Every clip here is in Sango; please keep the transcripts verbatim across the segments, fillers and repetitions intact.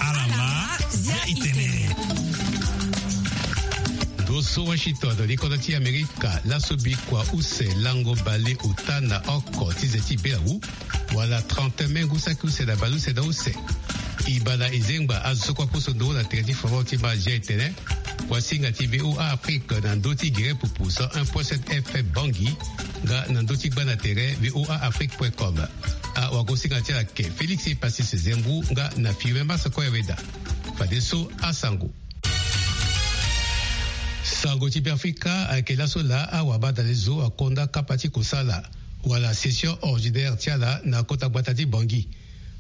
Alama, zia itene. Ndo so Washington, li kodro ti Amerika, laso bikua use lango bale ota na oko ti ze ti belawu, wala trente mai ngu saki use na bale use na use. E baa na e zengba azo so kue aposo nduru na tere ti foro ti mazia etene. Kuasinga ti V O A Afrique na ndö ti gere pupu cent un point sept F M Bangui, nga na ndö ti gba na tere V O A Afrique point com. Awagosinga ti ala ke Félix Passis Zembou nga na Firmin Masako Yaweda. Fadeso asango. Sango ti Beafrika ayeke laso laa awabadalezo akonda kapa ti kosala wala session ordinaire ti ala na kota gbata ti Bangui.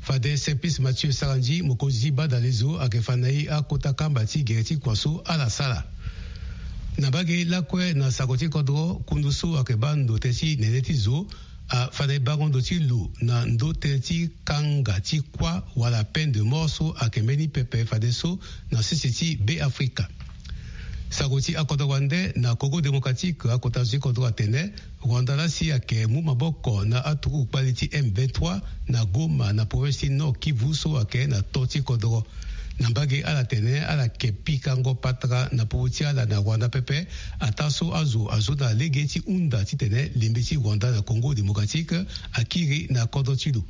Fade Simplice Mathieu Sarandji, mokonzi ti badalezo, ayeke fa na e akota kamba ti gere ti kua so ala sara. Na mbage lakue na sango ti kodro, kundu so ayeke baa ndo tënë ti nene ti zo afa na e bango ndo ti lo na ndö tënë ti kanga ti kuâ wala peine de mort so ayeke mbeni pepe fadeso na sese ti Beafrika. Sango ti akodro wande na Congo Démocratique, akota zo ti kodro atene Rwanda laa si ayeke mu maboko na aturugu kpali ti M vingt-trois na Goma na province ti Nord Kivu so ayeke na to ti kodro. Na mbage ala tene ala yeke pikango patara na popo ti ala na Rwanda pepe, ataa so azo azo na lege ti hunda titene lembe ti Rwanda na Congo Démocratique akiri na kodro ti lo.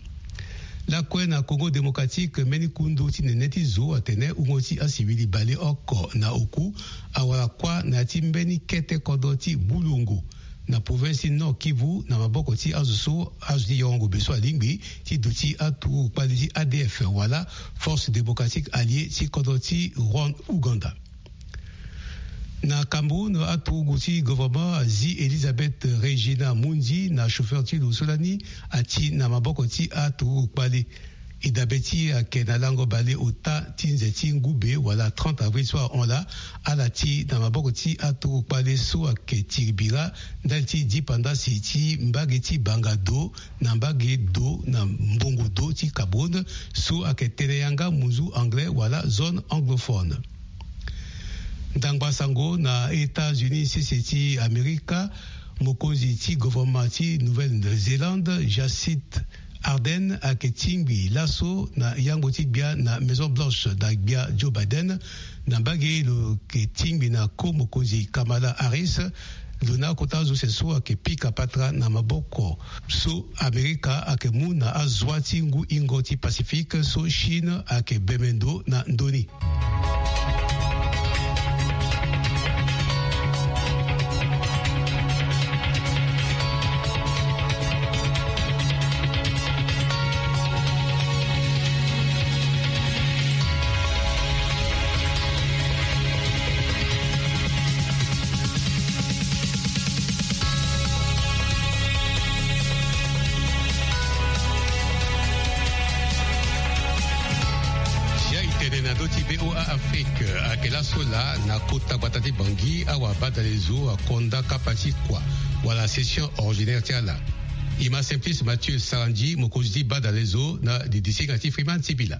Lakue na Congo Démocratique, mbeni kundu ti nene ti zo atene wungo ti asivili baleoko na oku awara kuâ na ya ti mbeni kete kodro ti Bulongo na province ti Nord Kivu na maboko ti azo so azo ti yongo be so alingbi ti duti aturugu kpali ti A D F wala Force Démocratique Alliée ti kodro ti Rwanda, Ouganda. Na Cameroun, aturugu ti gouvernement azi Elisabeth Regina Mundi na chauffeur ti lo so lani ati na maboko ti aturugu kpali. E dabe ti e ayeke na lango bale ota ti nze ti ngu be wala trente avril so ahon laa, ala ti na maboko ti aturugu kpali so ayeke tiri bira ndali ti dipandasi ti mbage ti Banga Do na mbage do na mbongo do ti Cameroun so ayeke tene yanga munzu anglais wala zone anglophone. Ndangba sango na États-Unis sese ti Amerika, mokonzi ti gouvernement ti Nouvelle-Zélande, Jacinda Ardern, ayeke tingbi laso na yango ti gbia na Maison Blanche na gbia Joe Biden. Na mbage lo yeke tingbi na ko mokonzi Kamala Harris. Lo na akota zo use so ayeke pika patara na maboko so Amerika ayeke mu na azoa ti ngu ingo ti Pacifique so Chine ayeke bembe ndo na ndö ni. Zia itene na ndö ti V O A Afrique, ayeke laso laa na kota gbata ti Bangui, awabadalezo akonda kapa ti kua wala session ordinaire ti ala. E ma Simplice Mathieu Sarandji, mokonzi ti badalezo, na didisinga ti Freeman Sibila.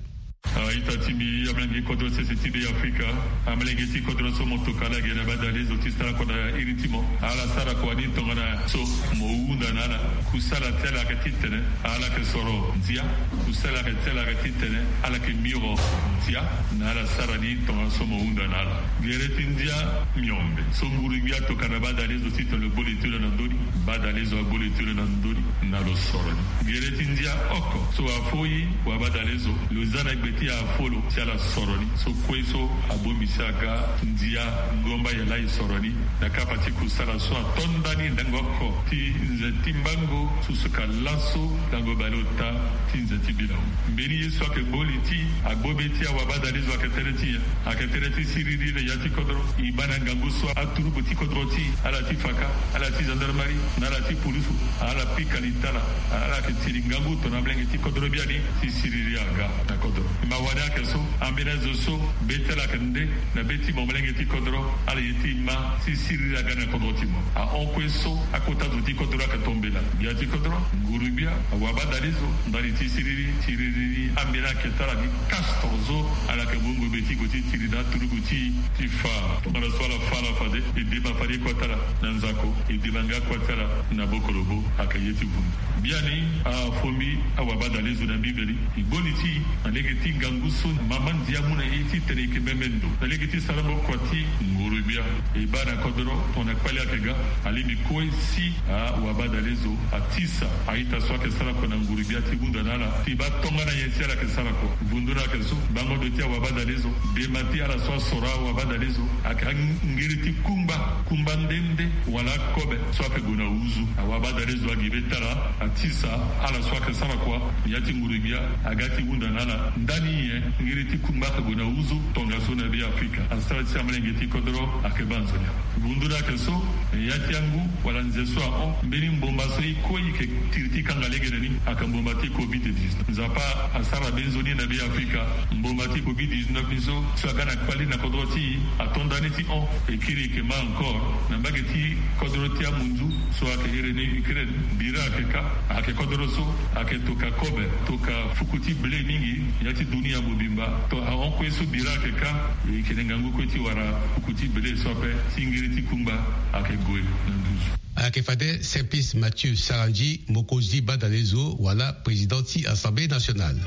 A ita ti mbi, amolenge kodro sese ti Beafrika, amolenge ti kodro so mo toka ala ge na badalezo ti sara kua na iri ti mo. Ala sara kua ni tongana so mo hunda na ala. Kusala ti ala ayeke titene ala yeke soro ndia. Kusala ti ala ayeke titene ala yeke miro ndia. Na ala sara ni tongana so mo hunda na ala. Gere ti ndia miombe so nguru-gbia atoka na badalezo titene lo gbo le ti lo na ndö ni. Badalezo agbo le ti lo na ndö ni na lo soro ni. Gere ti ndia oko so afo e, wabadalezo, lo za na gbe ti afo lo si ala soro ni. So kue so abongbi si aga ndia ngomba yala e soro ni na kapa ti kusala so atonda ni ndango oko ti nze ti mbango so so ka laso lango baleota ti nze ti bilango. Mbeni ye so ayeke gbo li ti agbo be ti awabadalezo ayeke tënë ti nyen? Ayeke tënë ti siriri na ya ti kodro. E baa na ngangu so aturugu ti kodro ti e, ala ti faka, ala ti gendarmerie na ala ti pulusu, ala pika li ti ala. Ala yeke tiri ngangu tongana amolenge ti kodro biani ti siriri aga na kodro. Mawa ni ayeke so, ambeni azo so be ti ala ayeke nde na be ti mo molenge ti kodro, ala ye ti ma ti siriri aga na kodro ti mo. Ahon kue so akota zo ti kodro ayeke tombela. Gbia ti kodro, nguru-gbia, awabadalezo, ndali ti siriri ti riri ni, ambeni ayeke ti ala ni. Kastor so ala yeke mungo be Ti gue ti tiri na aturugu ti ti fa tongana so ala fa ala fade e dema fade kue ti ala na nzako, e dema nga kue ti ala na bokolobo. Ayeke ye ti vundu. Biani afo mbi awabadalezo na mbiveli. E goni ti e na lege ti ngangu so mama ndia amu na e titene e yeke meme ndo na lege ti sarango kua ti nguru-gbia. E baa na kodoro tongana kpale ayeke ga, alingbi kue si awabadalezo atisa a-ita so ayeke sara kua na nguru-gbia ti hunda na ala ti baa tongana nyen si ala yeke sara kua. Vundu na ayeke so, bango ndo ti awabadalezo, dema ti ala so asoro awabadalezo, ayeke angiri ti kungba, kungba nde nde wala akobe so ayeke gue na huzu. Awabadalezo agi be ti ala atisa ala so ayeke sara kua na ya ti nguru-gbia aga ti hunda na ala. Ndani nyen? Ngiri ti kungba ayeke gue na huzu tongaso na Be Afrika. Asara ti amalenge ti kodoro ayeke baa nzoni awe. Vundu na ayeke so, ya ti angu wala nze so ahon mbeni mboma so e kue e yeke tiri ti kanga legene ni ayeke mboma ti covid dix-neuf. Nzapa asara be nzoni na Be Afrika. Mboma ti covid dix-neuf ni so, so aga na kpali na kodro ti e, ato ndani ti hon. E kiri e yeke ma encore na mbage ti kodro ti amunzu so ayeke iri ni Ukraine. Bira ayeke ka, ayeke kodro so ayeke toka kobe, toka fuku ti blé mingi. Ya ti dunia mobimba, to ahon kue so bira ayeke ka, e yeke na ngangu kue ti wara fuku ti blé so ape. Ti ngiri ti kungba ayeke gue na nduzu. Ayeke fade Simplice Mathieu Sarandji, mokonzi badalezo wala président ti Assemblée nationale.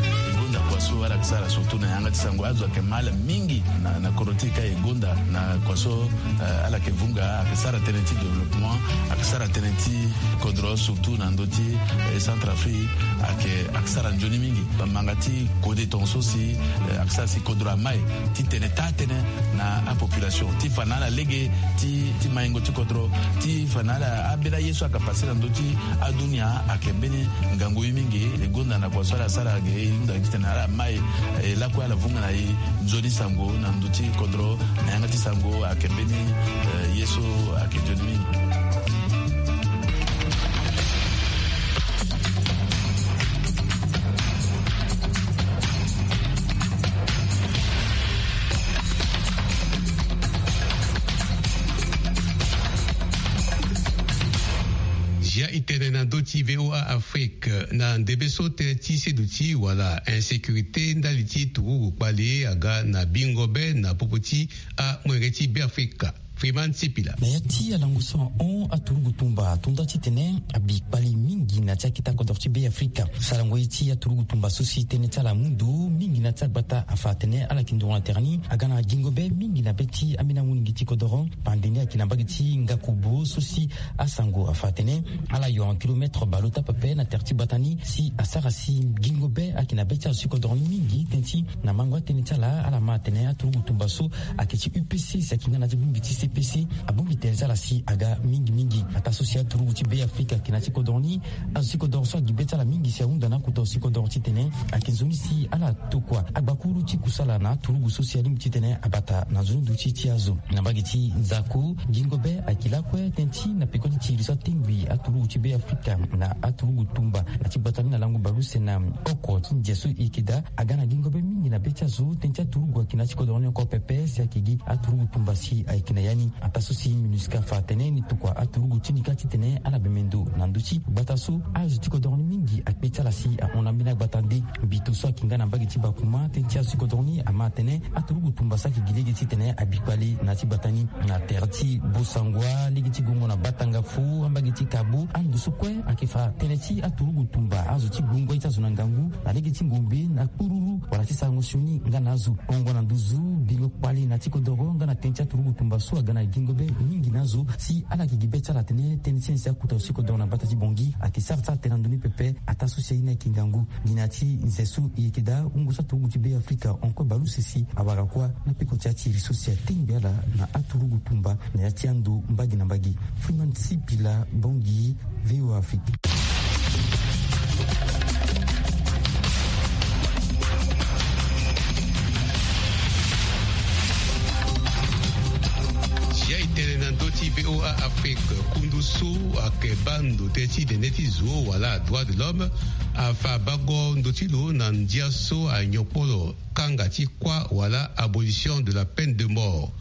E gonda kua so ala yeke sara surtout na yanga ti sango, azo ayeke ma ala mingi na, na kodro ti e ka. E gonda na kua so, eh, ala yeke vunga, ayeke sara tënë ti développement, ayeke sara tënë ti kodro surtout na ndö ti, eh, Centrafrique. Ayeke, ayeke sara nzoni mingi. Bamanga ti kode tongaso si, eh, ayeke sara si kodro ama e ti tene taa tënë na apopulation ti fa na ala lege ti, ti maingo ti kodro, ti fa na ala ambeni aye so ayeke pase na ndö ti adunia. Ayeke mbeni ngangu ye mingi. E gonda na kua so ala sara ge, e hunda gi titene ala ma e, e lakue ala vunga na e nzoni sango na ndö ti kodro na yanga ti sango. Ayeke mbeni, eh, ye so ayeke nzoni mingi. Zia e tene na ndö ti V O A Afrique, na ndembe so tënë ti seduti wala insécurité ndali ti turugu kpali aga na bingo be na popo ti amolenge ti Beafrika. Freeman Sipila. Na ya ti alango so ahon, aturugu tumba ato nda titene abi kpali mingi na ti akita kodoro ti Beafrika. Sarango ye ti aturugu tumba so si tënë ti ala amu ndo mingi na ti agbata afa atene ala yeke nduru na tere ni aga na gingo be mingi na be ti ambeni amunigi ti kodoro. Pande ni ayeke na mbage ti Ngakobo so si asango afa atene ala yo en kilomètre baleota pepe na tere ti gbata ni si asara si gingo be ayeke na be ti azo ti kodoro ni mingi. Tënë ti na mango atënë ti ala, ala ma atene aturugu tumba so ayeke ti U P C si ayeke nga na ya ti bongbi ti C P C, abongbi tënë ti ala si aga mingi mingi. Ataa so si aturugu ti Beafrika ayeke na ya ti kodoro ni, azo ti kodoro so agi be ti ala mingi si ahunda na akota azo ti kodoro titene ayeke nzoni si ala tokua agbakuru ti kusala na aturugu so si alingbi titene abata na nzoni duti ti azo. Na mbage ti Nzako, gingo be ayeke lakue tënë ti na peko ti tiri so atengbi aturugu ti Beafrika na aturugu tumba na ti gbata ni na lango baleuse na oko ti ndia so e yeke daa. Aga na gingo be mingi na be ti azo, tënë ti aturugu ayeke na ya ti kodoro ni oko pepe si ayeke gi aturugu tumba si ayeke na ya ni. Ataa so si MINUSCA afa atene ni tokua aturugu ti ni kâ titene ala meme ndo na ndö ti gbata so azo ti kodoro ni mingi akpe ti ala si ahon na mbeni agbata nde. Mbito so ayeke nga na mbage ti Bakuma, tënë ti azo ti kodoro ni ama atene aturugu tumba so ayeke gi lege titene abi kpale na ya ti gbata ni. Na tere ti Bossangoa, lege ti gongo na Batanga Fo, ambage ti Kabo, ando so kue ayeke fa tënë ti aturugu tumba azo ti gbongo ye ti azo na ngangu na lege ti ngombe na kpururu wala ti sarango sioni nga na azo. Hongo na nduzu, bingo kpale na ya ti kodoro nga na tënë ti aturugu tumba so aga na gingo be mingi na azo si ala yeke gi be ti ala atene tënë ti nyen si akota azo ti kodoro na gbata ti Bangui ayeke sara ti ala tene na ndö ni pepe. Ataa so si aye ni ayeke ngangu. Gi na ya ti nze so e yeke daa, wungo so aturugu ti Beafrika hon kue baleuse si awara kuâ na peko ti atiri so si atengbi ala na aturugu tumba na ya ti ando mbage na mbage. Freeman Sipila, Bangui, V O A Afrique. Zia e tene na ndö ti V O A Afrique, kundu so ayeke baa ndo tënë ti dene ti zo wala droit de l'homme afa bango ndo ti lo na ndia so anyopo lo kanga ti kuâ wala abolition de la peine de mort.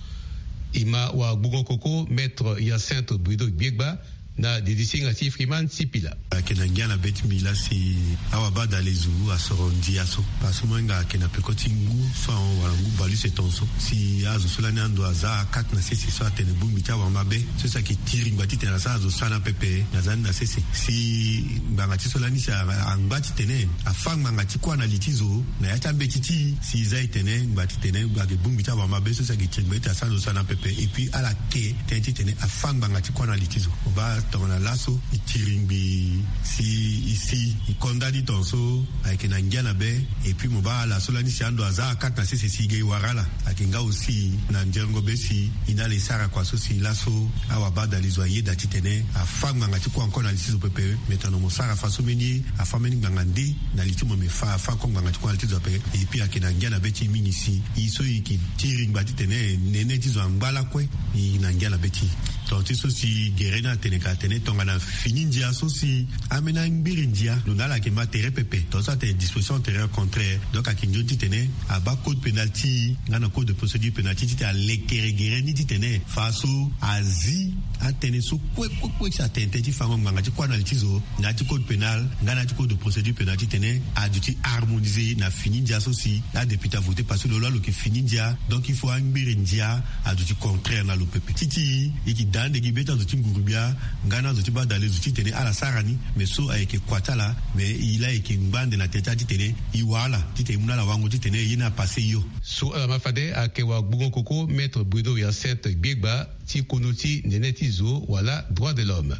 E ma wagbongo koko Maître Hyacinthe Bruno Gbiegba, Na didi singa ti Freeman Sipila. Ayeke na ngia na be ti mbi laa si awabadalezo asoro ndia so, parce que mo hinga ayeke na peko ti ngu so ahon wala ngu baleuse ton so, si azo so lani ando aza akate na sese so atene bongbi ti awamabe so si ayeke tiri ngba titene asara azo sara na pepe na za ni na sese. Si ngbanga ti so lani si a- angba titene afâ ngbanga ti kuâ na li ti zo na ya ti ambeti ti e, si e za e tene ngba titene ayeke bongbi ti awamabe so si ayeke tiri ngba titene asara azo sara na pepe. Et puis ala ke tënë titene afâ ngbanga ti kuâ na li ti zo. Mo baa tongana laso e tiri ngbi si e si e konda ni ton so ayeke na ngia na be. Et puis mo baa ala so lani si ando aza akate na sese si e ge e wara ala. Ayeke nga aussi na nzengo be si e na ala e sara kua so si laso awabadalezo ayeda titene afâ ngbanga ti kuâ encore na li ti zo pepe. Me tongana mo sara fa so mbeni ye afâ mbeni ngbanga nde na li ti mo, me fa afâ encore ngbanga ti kuâ na li ti zo ape. Et puis ayeke na ngia na be ti e mingi si e so e yeke tiri ngba titene nene ti zo angba lakue. E na ngia na be ti e. Tonga ti so si gere ni atene ka atene tongana fini ndia so si ambeni angbiri ndia lo na ala ayeke ma tere pepe, tonga so atene disposition antérieure contraire, donc ayeke nzoni titene abaa code pénal ti e nga na code de procédure pénale ti e titene alekere gere ni titene fa so azi atënë so kue kue kue si atene tënë ti fango ngbanga ti kuâ na li ti zo na ya ti code pénal nga na ya ti code de procédure pénale titene aduti harmoniser na fini ndia so si adéputé avoté, parce que lo laa lo yeke fini ndia. Donc il faut angbiri ndia aduti contraire na lo pepe. Ti ti e yeke daa ande gi be ti azo ti nguru-gbia nga na azo ti badalezo titene ala sara ni. Me so ayeke kua ti ala, me e laa e yeke ngba ande na tere ti ala titene e wa ala titene e mu na ala wango titene ye ni apasse hio. So ala ma fade ayeke wagbongo koko maître Bruno Hyacinthe Gbiegba ti kono ti nene ti zo wala droit de l'homme.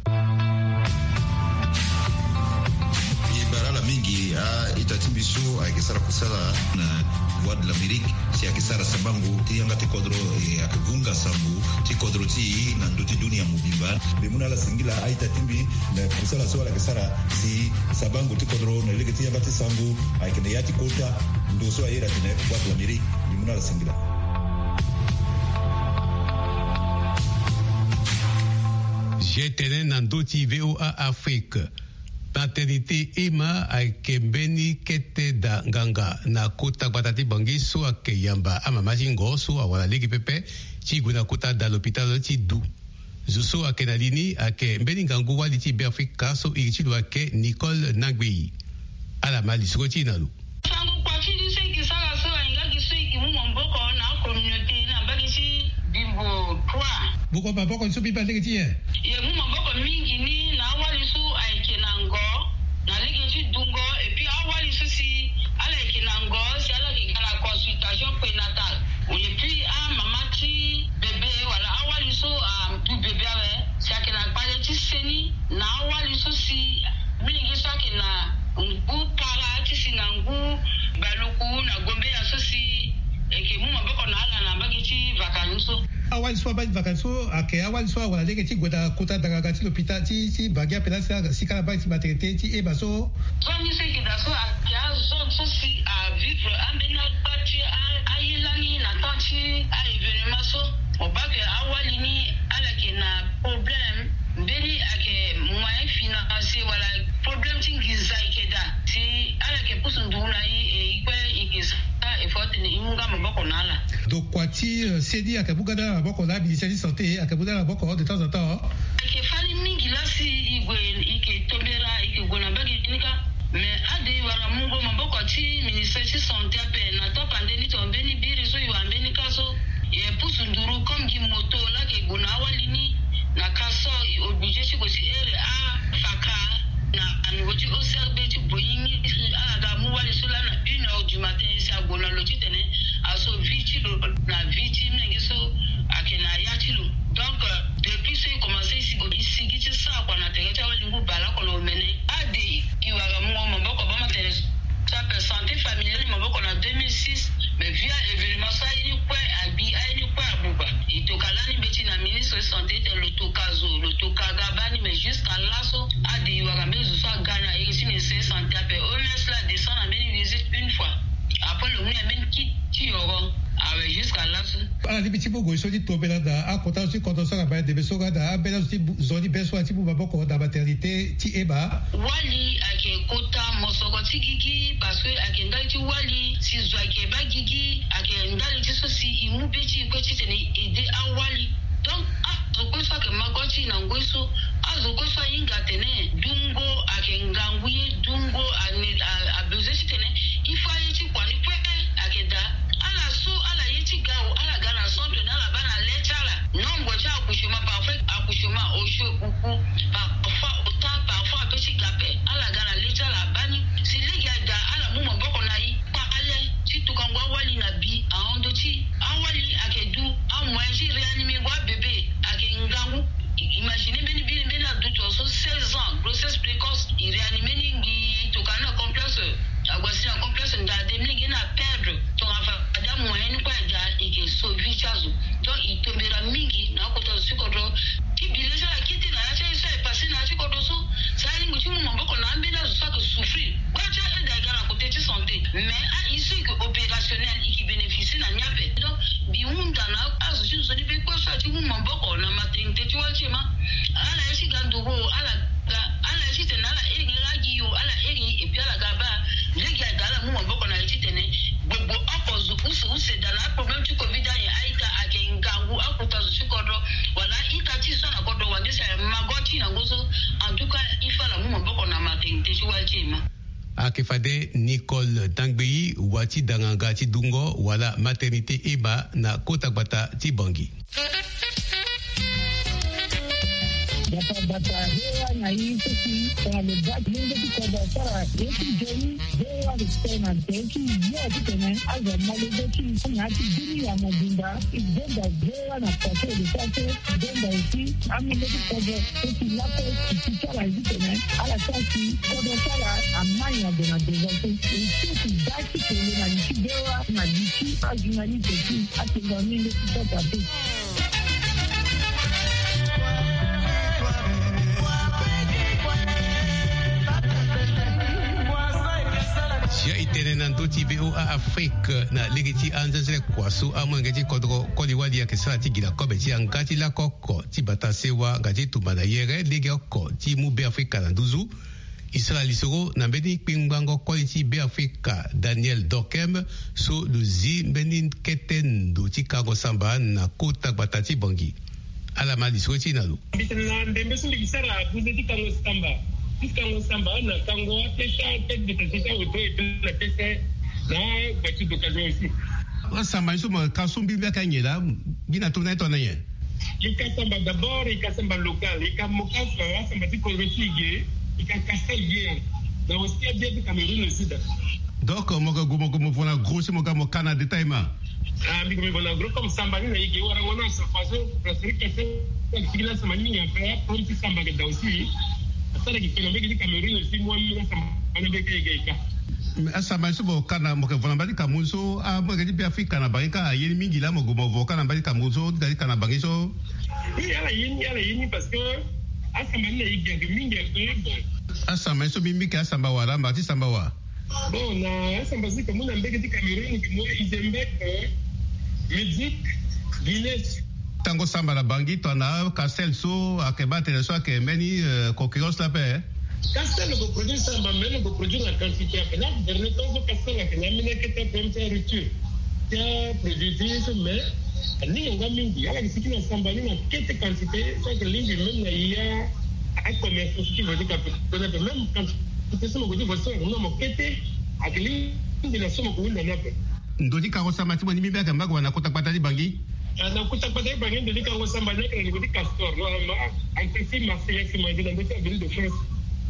E bara ala mingi a-ita ti mbi so ayeke sara kusala na Voix de l'Amérique si ayeke sara sabango ti yanga ti kodro, e ayeke vunga sango ti kodro ti e na ndö ti dunia mobimba. Mbi mu na ala singila a-ita ti mbi na kusala so ala yeke sara si sabango ti kodro na lege ti yanga ti sango ayeke na ya ti kota ndo so a iri atene Voix de l'Amérique. Mbi mu na ala singila. G T N na ndö ti V O A Afrique. Paternité ema ayeke mbeni kete da nganga na kota gbata ti Bangui so ayeke yamba amama ti ngo so awara lege pepe ti gue na kota da lopitalo ti Du. Zo so ayeke na li ni ayeke mbeni ngangu wali ti Beafrika so iri ti lo ayeke Nicole Nangui. Ala ma lisoro ti e na lo. Sango kua ti ni so e yeke sara so ahinga gi so e yeke mu maboko na acommunauté na mbage ti Bimbo trois. Boko maboko ni so mbi baa lege ti nyen? E mu maboko mingi ni na awali so ayeke na ngo na lege ti dungo, et puis awali so si ala yeke na ngo si ala yeke ga na consultation prénatale, et puis amama ti bébé wala awali so adu bébé awe si ayeke na kpale ti seni na awali so si mingi so ayeke na ngu para ti si na ngu baluku na gombeya so si e yeke mu maboko na ala na mbage ti vaka ni so. Awali so abaa ti vaka ni so ayeke awali so awara lege ti gue na kota danganga ti lopita ti ti Bangui ape laa si ala baa ti maternité ti ema so. Zo ni so e yeke daa so ayeke azone so si avivre ambeni agba ti a- aye lani na temps ti a-événement so. Mo baa ke awali ni ala yeke na problème. Mbeni ayeke moyen financier wala problème ti nginza ayeke daa si ala yeke pusu nduru na e, e kue e yeke sara effort titene e mu nga maboko na ala. Donc kua ti, euh, seni ayeke mu nga na ala maboko, na ministère ti santé ayeke mu nga na ala maboko de temps en temps. Ayeke fani mingi laa si e gue e yeke tombera e yeke gue na mbage ni kâ. Mais ade e wara mungo maboko ti ministère ti santé ape na tapande ni tongana mbeni biri so e wara mbeni kâ so. E pusu nduru comme gi moto laa ayeke gue na awali ni. Na kâ so e obligé ti gue ti here afaka na aniveau ti O C R B ti Boyingi, ala ga mu wali so laa na une heure du matin si ague na lo titene aso vie ti lo na vie ti menge so ayeke na ya ti lo. Donc, euh, depuis so e commencé e sigi ti sara kua na tere ti awali ngu bale oko na omene. Ade e wara mungo maboko bâ ma tene so ti ape santé familiale maboko na deux mille six. Mais via événement so aye ni kue agbi, aye ni kue abuba. E toka lani mbeti na ministre santé titene lo toka zo, lo toka ga bani, mais jusqu'à laso ade e wara mbeni zo so aga na iri ti ministre santé ape. O M S laa adescend na mbeni visite une fois. Après lo mu na mbeni kit ti yoro awe jusqu'à laso. Ala lingbi ti mu gue so ti tombela na akota zo ti kodro so aga bale ndembe so nga na ambeni azo ti bu- zo ni be so ala ti mu maboko na maternité ti ema. Wali ayeke kota mosoro ti gigi parce que ayeke ndali ti wali si zo ayeke baa gigi ayeke ndali ti so si e mu be ti e kue titene e aidé awali. Donc azo kue so ayeke ma go ti e na ngoi so Azo kue so ahinga atene dungo ayeke ngangu ye, dungo ane a- abezoin titene il faut aye ti kua ni kue. Ayeke daa ala so ala ye ti ga o, ala ga na centre ni, ala baa na le ti ala. Nombre ti accouchement, parfois accouchement osio uku, parfois ota, parfois ape ti ga ape. Ala ga na le ti ala abaa ni. Si lege aye daa, ala mu maboko na e kpale ti tukango awali na bi ahon ndö ti awali ayeke du. Amoyen ti réanimer ngo abebe ayeke ngangu. Imagine mbeni bini mbeni aduti so seize ans, grossesse précoce, e réanimer ni, ngi tokana na complexe. Ague asi na complexe, nda de mbeni nge na perdre. Tongana fade amoyen ni kue aye daa, e ke sauver ti azo. Donc e tombera mingi na akota zo ti kodro. Ti bi le ti ala kete na ya ti aye so aye passé na ya ti kodro so. Si alingbi ti mu maboko na ambeni azo so ayeke souffrir, kue ti aide ayeke ga na côté ti santé. Mais a e so e ke opérationnel, e ke bénéficier na ni ape. Donc mbi hunda na azo ti nzoni be kue so aye ti mu maboko na maternité ti wali ti ema. Ala ye ti ga ndugu o, ala ga, ala ye titene ala iri lagi yo, ala iri. Et puis ala ga baa lege aye daa, ala mu maboko na e titene gbogbo oko zo use use daa na aproblème ti covid aye. A-ita ayeke ngangu akota zo ti kodro wala a-ita ti e so na kodro wande si aye mago ti e na ngu so. En tout cas il faut ala mu maboko na maternité ti wali ti ema. Ayeke fade Nicole Dangbeyi, wa ti danganga ti dungo wala maternité ema na kota gbata ti Bangui. Gbata gbata, V O A na e so si tongana lo baa ti lenge ti kodro asara ye ti nzoni, V O A lo tene na nze ti yo titene azo amolenge ti e na ya ti bini ya mobimba. E benda V O A na façon de faire que benda aussi amolenge ti kodro so si lakue e ti ti ala ye titene ala sara si kodro ti ala amai na ndo na devant so. E so si baa ti kele na li ti V O A na li ti ajournaliste ti atengua mingi ti sota te. Sia e tene na ndö ti V O A Afrique na lege ti anzenzele kua so amolenge ti kodro koli wali ayeke sara ti gi na kobe ti yanga ti lako oko ti bata sewa nga ti tumba na yere lege oko ti mu Beafrika na nduzu. E sara lisoro na mbeni kpengbango koli ti Beafrika Daniel Dorkem so lo zi mbeni kete ndo ti kango samba na kota gbata ti Bangui. Ala ma lisoro ti e na lo. Mbi tene na ndembe so mbi gi sara buze ti kango samba. Ti kango samba na kango apesa tête de tête ti aoto et puis na pese na voiture d'occasion aussi. Asamba ni so mo ka so mbi mbi aka nyen laa? Mbi na tongana ye tongana nyen? E ka samba d'abord, e ka samba local, e ka moka fa asamba ti kodro ti e ge, e ka castel bien. Na aussi abia ti Cameroun aussi da. Donc mo ga gue mo gue mo vo na gros si mo ga mo ka na détail ma. Ah, mbi gue mbi vo na gros comme samba ni na e ge warango na sa façon parce que castel. Tiki na samba ni mingi après problème ti samba ge da aussi. Asara gi kena mbege ti Cameroun aussi mo amina samba ni mbege e ge e ka. Mais asamba ni so mo ka na mo ke vo na mbage ti Cameroun so amolenge ti Beafrika na bangi ka aye ni mingi laa mo gue mo vo ka na mbage ti Cameroun so ti ka na bangi so. Oui, ala ye ni, ala ye ni parce que asamba ni na e gi ake mingi ake bon. Asamba ni so mbi mbi ke asamba wa laa mba ti samba wa? Bon, na asamba so e ke mu na mbege ti Cameroun e ke mu Izembek, Medik, Guinée. Tango samba na bangi tongana castel so ake baa tene so ake mbeni concurrence la pe. Castel lo ko produire samba mais lo ko produire na quantité ape na dernier temps so castel ake na ambeni akete ape ti rupture ti aproduit ti ye so mais alingbi yango mingi ala ke siki na samba ni na kete quantité so ake lingbi même na ya acommerce so ti vo ti kape kona ape même quantité so mo ko ti vo so na mo kete ake lingbi na so mo ko hunda ni ape. Ndo ti kango samba ti mo ni mbi mbi ake mba gue na kota gbata ti bangi? Ah, na kota gbata ti bangi ndo ti kango samba ni ake na niveau ti castor normalement. Ake si marché ya si mangi na ndo ti avenue de France.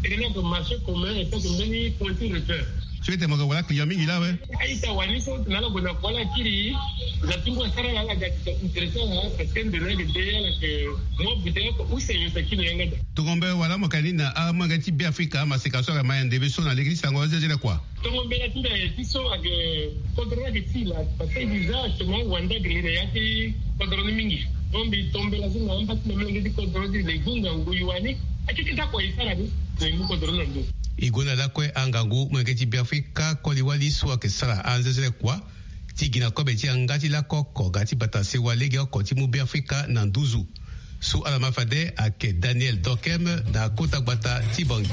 Eke ni ake marché commun et pas mbeni point ti repère. So ete mo ga wala client mingi laa we? A-ita wani so na ala gue na kua ala kiri. Na ti ngu asara la ala ga ti intéressé ala parce que nde na eke de ala ke mo bute oko use yo sa kiri yanga da. Tongo mbe wala mo ka ni na amolenge ti Beafrika amaseka so ake ma ya ndembe so na lege ti sango azezele kua? Tongo mbela ti mbi aye ti so ake kodro ni ake ti la parce que déjà actuellement wande ake li na ya ti kodro ni mingi. Donc mbi tombela so na amba ti na molenge ti kodro ni ti le gunga ngu yuani. Akeke ti akua e sara ni na e mu kodro ni na ndo. E gue na lakue angangu molenge ti Beafrika koli wali so ake sara anzezele kua ti gi na kobe ti yanga ti lako oko ga ti bata sewa lege oko ti mu Beafrika na nduzu. So ala ma fade ayeke Daniel Dorkem na kota gbata ti Bangui.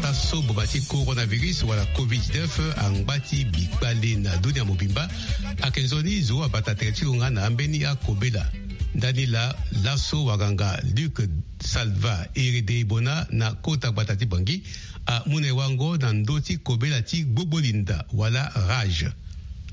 Laso boma ti coronavirus wala covid dix-neuf angba ti bikpale na dunia mobimba. Ayeke nzoni zo abata tere ti lo nga na ambeni akobela. Ndani laa, laso wanganga Luc Salva Eredebona na kota gbata ti Bangui amu na e wango na ndö ti kobela ti gbogbolinda wala rage.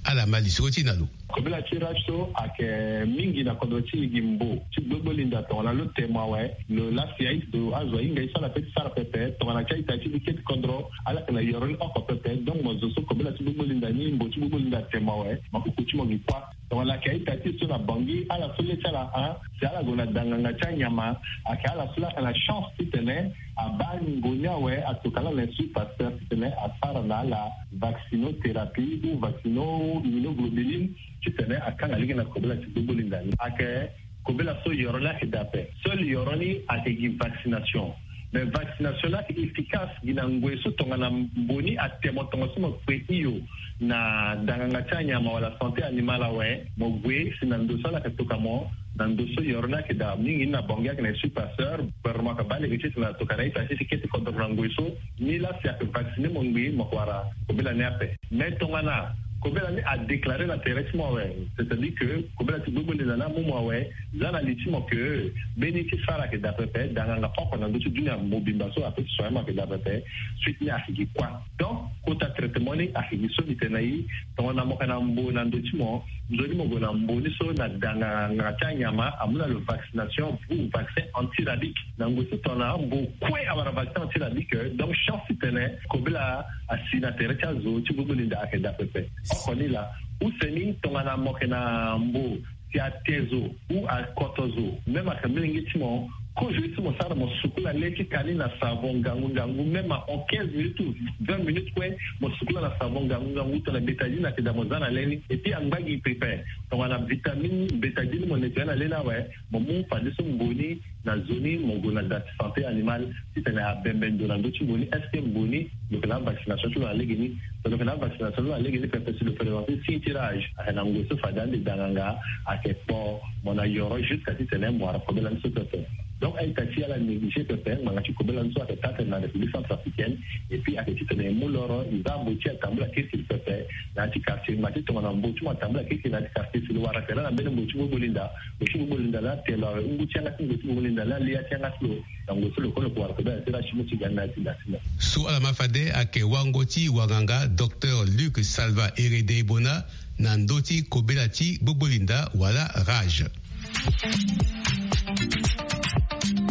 Ala ma lisoro ti e na lo. Kobela ti rage so ayeke mingi na kodro ti e gi mbo ti gbogbolinda tongana lo temo awe, lo lasi azo ahinga ye so ala pe ti sara pepe tongana ti a-ita ti li kete kodro. Ala yeke na yoro ni oko pepe. Donc mo zo so kobela ti gbogbolinda ni, mbo ti gbogbolinda atemo awe, mo kuku ti mo gi kuâ. Tongana ayeke a-ita ti e so na Bangui, ala so le ti ala, a si ala gue na danganga ti anyama, ayeke ala so la ayeke na chance titene abaa ngu ni awe, atoka na Institut Pasteur titene asara na ala vaccinothérapie ou vaccino-immunoglobuline titene akanga lege na kobela ti gbogbolinda ni. Ayeke kobela so yoro ni ayeke daa ape. Seul yoro ni ayeke gi vaccination. Mais vaccination ni ayeke efficace gi na ngoi so tongana mbo ni atemo tongaso mo kpe hio na danganga ti anyama wala santé animale awe, mo gue si na ndo so ala yeke toka mo, na ndo so yoro ni ayeke daa mingi ni na Bangui ayeke na Institut Pasteur. Gouvernement ayeke baa lege titene atoka na a-ita ti e ti kete kodro na ngoi so. Ni la si ayeke vacciner mo ngbii, mo yeke wara kobela ni ape. Mais tongana kobela ni adéclarer na tere ti mo awe, c'est-à-dire que kobela ti gbogbolinda ni amu mo awe, za na li ti mo que mbeni ti sara ayeke daa pepe, danganga oko na ndö ti dunia mobimba so ape ti soigner mo ayeke daa pepe. Suite ni ayeke gi kuâ. Donc kota traitement ni ayeke gi so mbi tene na e. Tongana mo yeke na mbo na ndö ti mo, nzoni mo gue na mbo ni so na danganga ti anyama amu na lo vaccination ou vaccin antirabique. Na ngoi so tongana mbo kue awara vaccin antirabique, donc chance titene kobela asi na tere ti azo ti gbogbolinda ayeke daa pepe. Oko ni laa. Use ni tongana mo yeke na mbo si ate zo ou akoto zo, même ayeke molenge ti mo, kozo ye so mo sara, mo sukula le ti ka ni na savon ngangu ngangu, même en quinze minutes ou vingt minutes kue, mo sukula na savon ngangu ngangu, tongana bétadine ayeke daa mo za na le ni. Et puis angba gi pepe, tongana vitamine bétadine mo nettoyer na le ni awe, mo mu fadeso mbo ni na zo ni, mo gue na da ti santé animale titene abembe ndo na ndö ti mbo ni. Est-ce que mbo ni lo yeke na avaccination ti lo na legeni? Si lo yeke na avaccination ti lo na legeni pepe, si lo présenter signe ti rage, ayeke na ngoi so fade ande danganga ayeke kpo mo na yoro jusqu'à titene mo wara kobela ni so pepe. Donc a-ita ti e ala négliger pepe ngbanga ti kobela ni so ayeke taa tene na République centrafricaine. Et puis ayeke titene e mu loro, e za mbo ti e atambula kirikiri pepe na ya ti quartier. Ngba ti tongana mbo ti mo atambula kirikiri na ya ti quartier, si lo wara tere na mbeni mbo ti gbogbolinda, mbo ti gbogbolinda ni ate lo awe, ngu ti yanga ti mbo ti gbogbolinda ni ali ya ti yanga ti lo. Na ngoi so lo kue lo yeke wara kobela ti rage ti mo ti ga ni na ya ti da ti mo. So ala ma fade ayeke wango ti wanganga Docteur Luc Salva Eredebona na ndö ti kobela ti gbogbolinda wala rage.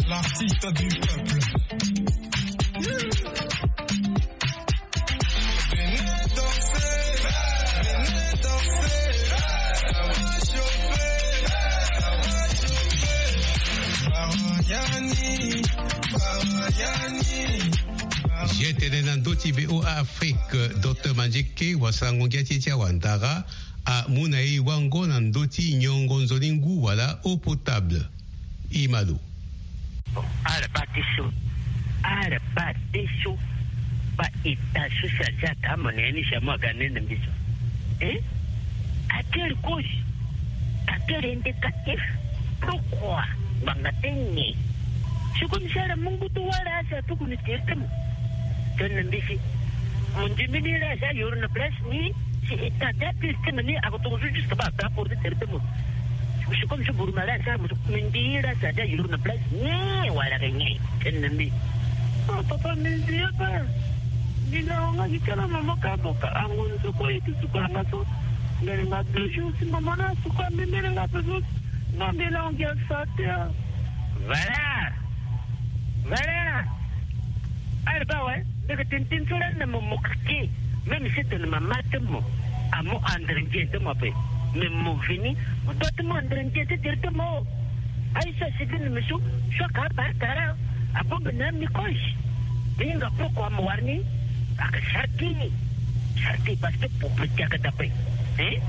L'artiste du peuple. Venez danser, venez danser, ça va chauffer, ça va chauffer. Mariani, Mariani. Ye tene na ndö ti V O A Afrique, Docteur Mandieke, wasango ngia ti e ti awandara, amu na e wango na ndö ti nyongo nzoni ngu wala eau potable. E ma lo. Bon, ala baa ti so, ala baa ti so, baa état social ti ata mo na ya ni, si amu aga nene mbi so. Eh? À quelle cause? À quel indicatif? Pourquoi? Ngbanga ti nyen? Si comme si ala mu ngu ti wara asi atuku ni tere ti mo. Tene na mbi si mo ndimi ni la asi ayoro na place ni, si état ti apire ti tene ni ako tongaso jusque baa ape apore ti tere ti mo. Si comme si buru ma la asi ala mo so, mbi ndi la asi ayoro na place ni wala ayeke nyen? Tene na mbi. Ah, papa, mbi ndi ape. Mbi na hon nga gi kala mama ka mo ka ango nzoko ye ti suka nga so. Mbi ringa deux jours si mama na suka mbi, mbi ringa ape so. Nga mbi na hon gi asa te, ah. Voilà. Voilà. Ala baa awe, mbi yeke tene tënë so lani na mo, mo keke. Même si tene mama ti mo amu andre nzien ti mo ape. Mais mo vini, mo doit ti mu andre nzien ti tere ti mo. Aye so asi gi na mbi so, so aka abaa tara, abongbi na mbi kozo. Mbi hinga pourquoi mo wara ni. Aka sarti ni. Sarti parce que pauvreté aka daa ape. Hein?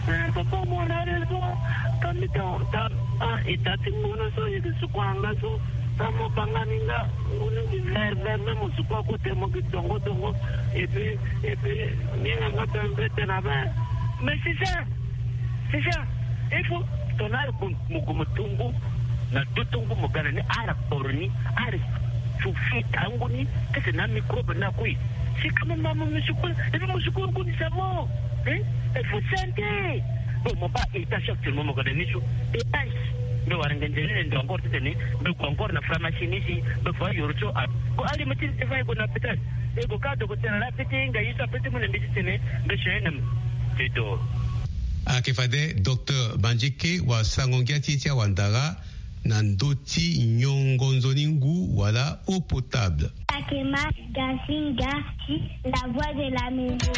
Eh, papa, mo na raison. Ka mbi ta, ta, ah, état ti ngu ni so, e yeke suku anga so. Ka mo banga ni nga. Ngu ni gi vert, vert, même mo suku akote mo gi dongo, dongo. Et puis, et puis, ni nga nga tene mbi tene ape. Mais c'est ça. C'est ça. Il faut, tongana ala gue, mo gue mo to ngu. Na do to ngu mo ga na ni, ala kporo ni, ala Faut futa angu ni, titene amicrobe ni akui. Si quand même amu musukulu, et puis musukulu ngu ni savon. Hein? Il faut santé. Bon, mo baa étage actuellement mo ga na ni so. Étage. Mbi wara ngenze ni ndo encore titene mbi gue encore na pharmacie ni si mbi fa yoro tio a. Bon, ali mo ti nde fa e gue na hôpital. E gue ka docteur ala pete nga ye so apete mo na mbi titene mbi si aye na mbi. Te do. Ayeke fade docteur Banjeke wa sango ngia ti e ti awandara na ndö ti nyongo nzoni ngu wala eau potable. Takema Gasinga, la voix de la maison.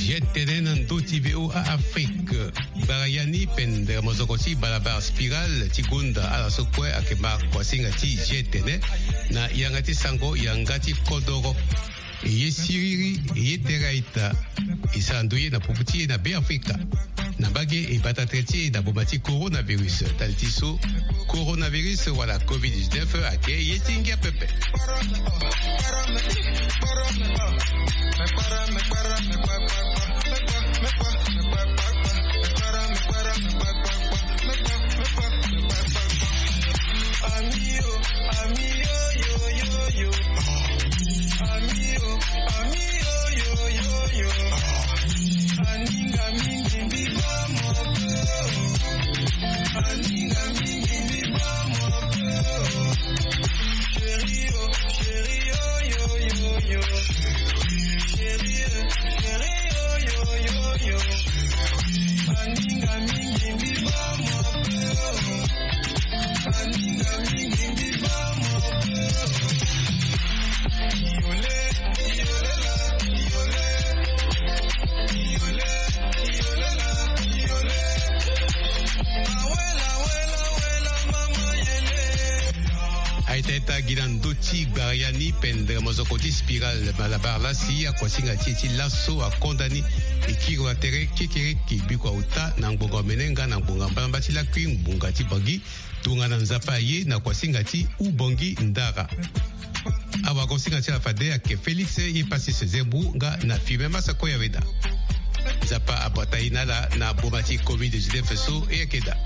Ye tene na ndö ti V O A Afrique. Gbara ya ni pendere mozoko ti balabala spirale ti gonda ala so kue ayeke ma kuasinga ti G T N na yanga ti sango yanga ti kodoro. E ye siriri, e ye tere aita. E sara ndoye na popo ti e na Beafrika. Na mbage e bata tere ti e na boma ti coronavirus. Ndali ti so coronavirus wala covid dix-neuf ayeke ye ti ngia pepe. Aita ita gi na ndö ti gbara ya ni pendere mozoko ti spirale malabar lasi akuasinga ti e ti laso akonda ni. E kiri wa tere kekereke biko auta na ngbonga omene nga na ngbonga mbalamba ti lakui ngbonga ti Bangui. Tongana Nzapa aye na kuasinga ti Ubangui Ndara. Awagosinga ti ala fade ayeke Félix ye Passis Zembu nga na Firmin Massakoya Weda. Nzapa abata ye na ala na boma ti covid dix-neuf so e yeke daa.